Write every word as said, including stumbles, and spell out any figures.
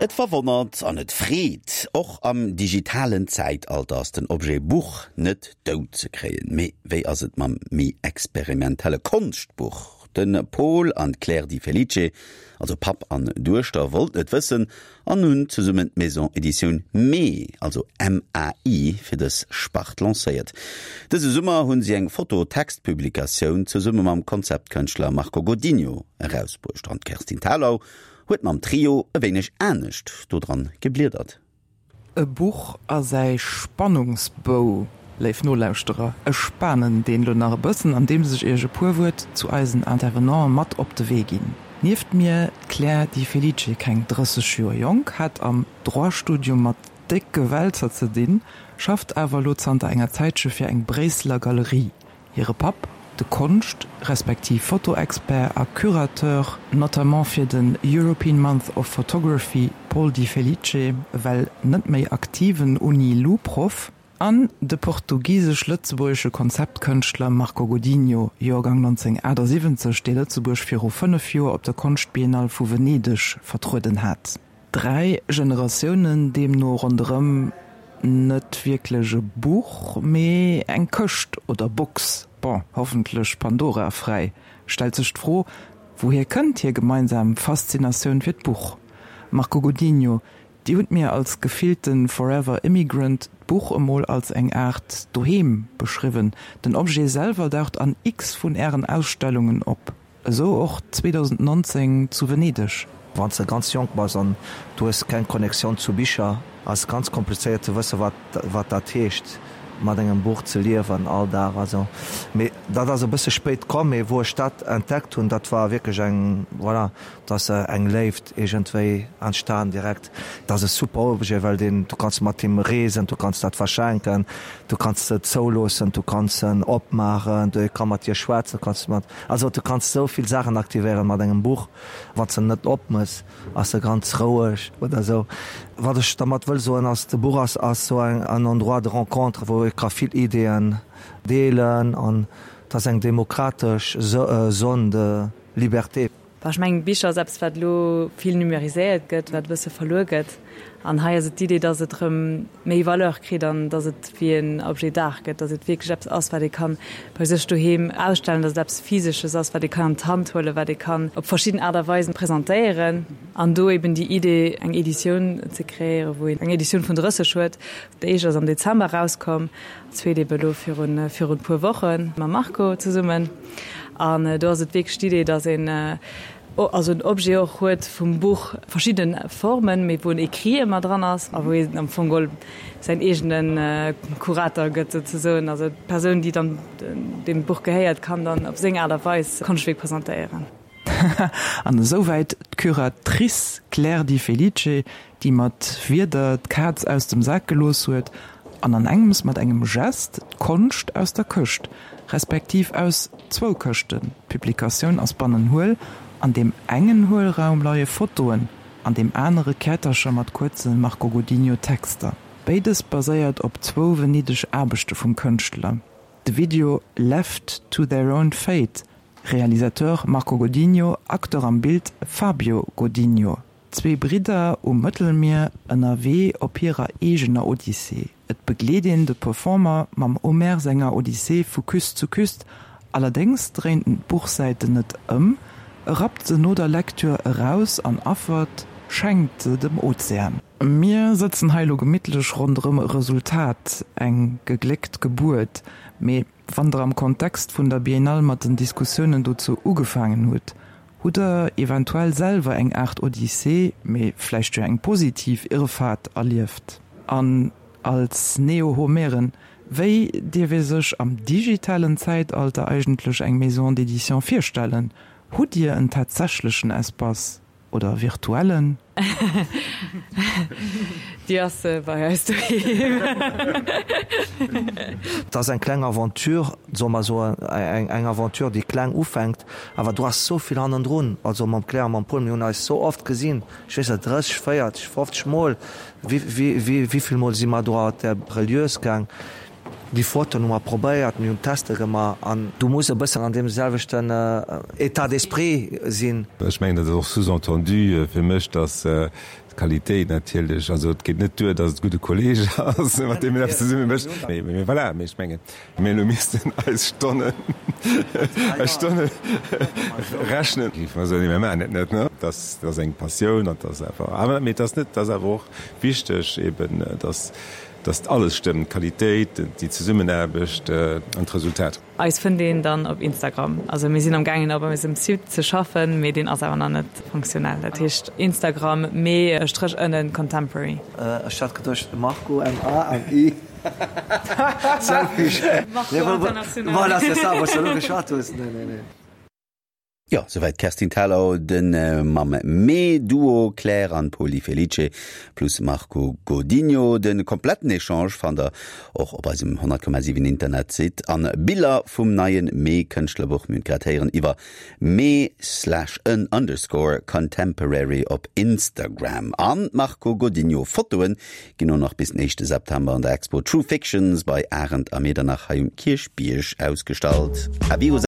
Et verwonnert an et freet, och am digitalen Zäitalter ass den Objet Buch net dout ze kréien. Mee wéi ass et mam méi experimentelle Konschtbuch? De Pol an d'Claire Di Felice, also Papp an Duechter, wollten et wëssen an hunn zesummen d'Maison Editioun Mai, also M A I, fir dës Spart lancéiert. Dëse Summer hunn si eng Foto-Text-Publikatioun zesumme mam Konzeptkënschtler Marco Godinho erausbruecht. An d'Kerstin Thalau huet mam Trio e wéineg anescht dodran gebliedert. E Buch a säi Spannungsbou, léif Nolauschterer, ech spanen deen lo nach e bëssen, andeems ech iech e puer Wuert zu eisen Intervenanten mat op de Wee ginn. Nieft mir d'Claire Di Felice, keng drësseg Joer jonk, hat am Droit-Studium mat décke Wälzer ze dinn, schafft awer lo zanter enger Zäitche fir eng Bréisseler Galerie. Hire Papp, de Konscht respektiv Fotoexpert a Curateur, notamment fir den European Month of Photography, Paul Di Felice, well net méi aktiven Uni-Lu-Proff, an de portugisesch-lëtzebuergesche Konzeptkënschtler Marco Godinho, Joergang nonzénghunnertaachtsiwwenzeg, dee Lëtzebuerg viru fënnef Joer op der Konschtbiennale vu Venedeg vertrueden hat. Dräi Generatiounen deemno ronderëm net wierklech e Buch, mee eng Këscht oder Box, bon, hoffentlech Pandora-fräi. Stellt sech d'Fro, wouhier kënnt hir gemeinsam Faszinatioun fir d'Buch? Marco Godinho, Dir hutt mir als gefillte Forever Immigrant d'Buch emol als eng Aart Doheem beschriwwen. Den Objet selwer daucht an x vun Ären Ausstellungen op, esou och zweedausendnonzéng zu Venedeg. Wann s de ganz jonk bass an du hues keng Connectioun zu Bicher, ass ganz komplizéiert ze wësse wat wat dat heescht mat engem Buch ze liewen all Dag a sou. Mee dat ass e bësse spéit komm, mee wou ech dat entdeckt hunn, dat war wierklech eng, voilà, do ass eng Léift iergendwéi entstan direkt. Dat ass e super Objet, well deen, du kanns mat him reesen, du kanns dat verschenken, du kanns se zouloossen, du kanns en opmaachen, e ka mat dir schwätzen, du kanns mat, also du kanns esou vill Saachen aktivéieren mat engem Buch. Wann s de en net opmëss, ass e ganz roueg oder esou. Wat ech dermat wëll soen ass, de Buch ass ass esou en en Endroit de rencontre, wou ee ka vill Ideeën deelen an et ass eng demokratesch Zone de liberté. Bon, ech mengen, Bicher ass eppes, wat elo vill numeriséiert gëtt, wat e bësse verluer gëtt. An hei ass et d'Idee, dass et erëm méi Valeur kritt an dass et wéi en Objet d'art gëtt, dass et wierklech eppes ass, wat ee kann bei sech doheem ausstellen, dass et eppes Physesches ass, wat ee kann an d'Hand huelen, wat ee kann op verschidden Aart a Weisen presentéieren. An do eben déi Idee, eng Editioun ze kreéieren, wou een eng Editioun vun drësseg huet. Déi éischt ass am Dezember erauskomm, d'zweet ebe elo virun virun e puer Woche mam Marco zesummen. An do ass et wierklech d'Idee, dass een also en Objet och huet vum Buch, verschidde Formen, mee wou en Écrit ëmmer dran ass a wou een am Fong geholl säin eegene Kurator gëtt souzesoen. Also d'Persoun, déi dann deem Buch gehéiert, kann dann op seng Aart a Weis d'Konschtwierk presentéieren. An esouwäit d'Curatrice Claire Di Felice, déi mat Wierder d'Kaz aus dem Sak gelooss huet an an engems mat engem Gest d'Konscht aus der Këscht, respektiv aus zwou Këschten, d'Publikatioun ass bannen huel, an deem engen Huelraum leie Fotoen, an deem anere Käertercher mat kuerze Marco Godinho Texter. Béides baséiert op zwou Venedeg Aarbechte vum Kënschtler. De Video Left to their own fate, Realisateur Marco Godinho, Acteur am Bild Fabio Godinho. Zwee Bridder um Mëttelmier ënnerwee op hirer eegener Odyssee. Et begleet een de Performer mam Homer senger Odyssee vu Küst zu Küst, allerdéngs dréint en d'Buchsäiten net ëm, e rappt se no der Lektür eraus an affert, schenkt se dem Ozean. Mir sëtzen hei elo gemittlech ronderëm e Resultat, eng gegléckt Gebuert. Mee wann der am Kontext vun der Biennale mat den Diskussiounen dozou ugefaangen hutt, hutt der eventuell selwer eng Aart Odyssee, mee vläicht jo eng positiv Irrfahrt erlieft? An als Neo-Homeren, wéi dierf ee sech am digitalen Zäitalter eigentlech eng Maison d'édition virstellen? Hutt Dir en tatsächlechen Espace oder virtuellen? Déi ass bei eis doheem. Et ass eng kleng Aventure, soe mer esou, eng Aventure, déi kleng ufänkt, awer do ass esou vill hannendrun. Also mam Claire a mam Paul, mir hunn eis esou oft gesinn, ech weess net, drësseg, véierteg, fofzeg Mol, wéi vill Mol si mer do an der Relieuse gaang. Déi Fotoen hu mer probéiert, mir hunn Tester gemaach an du muss e bëssen an deem selwechten État d'esprit sinn. Ech mengen, dat ass och sous-entendu fir mech, dass D'Qualitéit natierlech, also et geet net duer, datt et gudde Kolleeg ass, mat deem een eppes zesumme mécht. Mee, mee voilà, mee ech mengen, mir elo missten eis Stonnen, eis Stonne rechnen, géife mer soen, nee, mir maachen et net, ne? Dat ass eng Passioun an dat ass einfach, awer mee et ass net, et ass awer och wichteg eben, datt, datt alles stëmmt, d'Qualitéit, déi Zesummenaarbecht an d'Resultat. Eis fënnt een dann op Instagram. Also mir sinn am gaangen op eisem Site ze schaffen, mee deen ass awer nach net funktionell. Dat heescht Instagram mee Stréch ënnen contemporary. Ech hat geduecht Marco M A an I Selfish. Marco International. Voilà, c'est ça, wou s de elo geschwat hues. Nee, nee, nee. Jo, souwäit d'Kerstin Thalau, de mam Mee-Duo Claire an Pol Di Felice plus Marco Godinho. De kompletten Echange fannt der och op eisem honnert Komma siwen Internetsite an Biller vum neien Mee-Kënschtlerbuch, mir hunn et grad héieren, iwwer mee slash en underscore contemporary op Instagram. An d'Marco Godinho Fotoen ginn och nach bis den éischte September an der Expo True Fictions bei Arendt a Medernach hei um Kierchbierg ausgestallt. A virus.